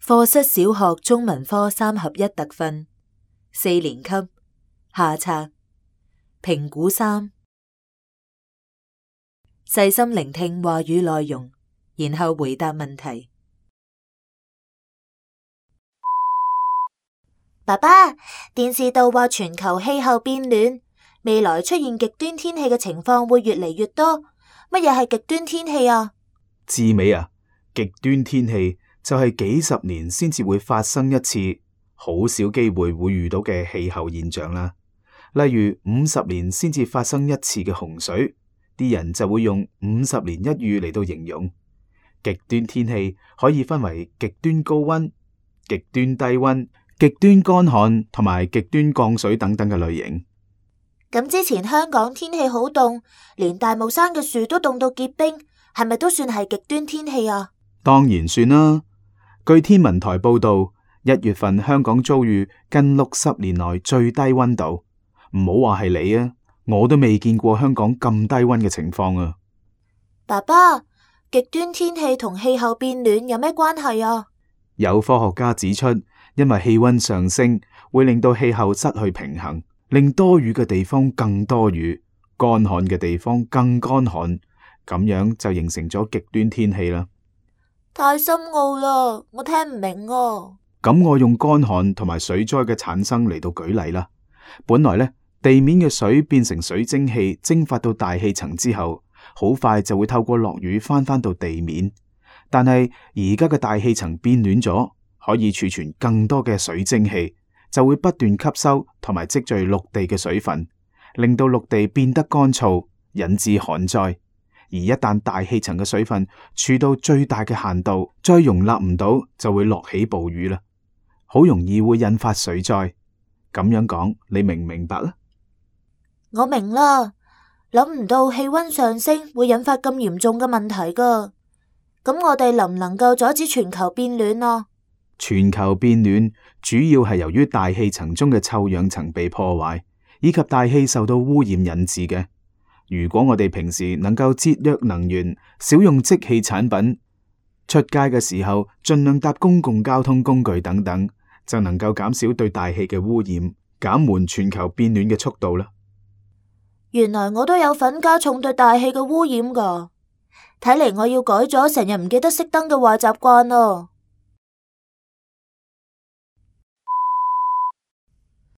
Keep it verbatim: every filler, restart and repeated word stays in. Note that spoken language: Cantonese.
課室小學中文科三合一特訓，四年級下冊，評估三，細心聆聽話語內容，然後回答問題。爸爸，電視度話全球氣候變暖，未來出現極端天氣嘅情況會越嚟越多。乜嘢係極端天氣啊？志美啊，極端天氣就係幾十年先至會發生一次，好少機會會遇到嘅氣候現象啦。例如五十年先至發生一次嘅洪水，啲人就會用五十年一遇嚟到形容。極端天氣可以分為極端高溫、極端低溫、極端乾旱同埋極端降水等等嘅類型。咁之前香港天氣好凍，連大帽山嘅樹都凍到結冰，係咪都算係極端天氣啊？當然算啦。據天文台報道，一月份香港遭遇近六十年來最低溫度，唔好話係你啊，我都未見過香港咁低溫嘅情況啊。爸爸，極端天氣同氣候變暖有咩關係啊？有科學家指出，因為氣溫上升會令到氣候失去平衡，令多雨嘅地方更多雨，乾旱嘅地方更乾旱，咁樣就形成咗極端天氣啦。太深奧啦，我聽唔明啊。咁我用乾旱同埋水災嘅產生嚟到舉例啦。本來呢，地面嘅水變成水蒸氣蒸發到大氣層之後，好快就會透過落雨翻返到地面。但係而家嘅大氣層變暖咗，可以儲存更多嘅水蒸氣，就會不斷吸收同埋積聚陸地嘅水分，令到陸地變得乾燥，引致旱災。而一旦大氣層嘅水分儲到最大嘅限度，再容納唔到，就會落起暴雨啦，好容易會引發水災。咁樣講，你明唔明白咧？我明啦，諗唔到氣溫上升會引發咁嚴重嘅問題噶。咁我哋能唔能夠阻止全球變暖啊？全球變暖主要係由於大氣層中嘅臭氧層被破壞，以及大氣受到污染引致嘅。如果我哋平時能夠節約能源，少用即棄產品，出街嘅時候盡量搭公共交通工具等等，就能夠減少對大氣嘅污染，減緩全球變暖嘅速度啦。原來我都有份加重對大氣嘅污染噶，睇嚟我要改咗成日唔記得熄燈嘅壞習慣咯。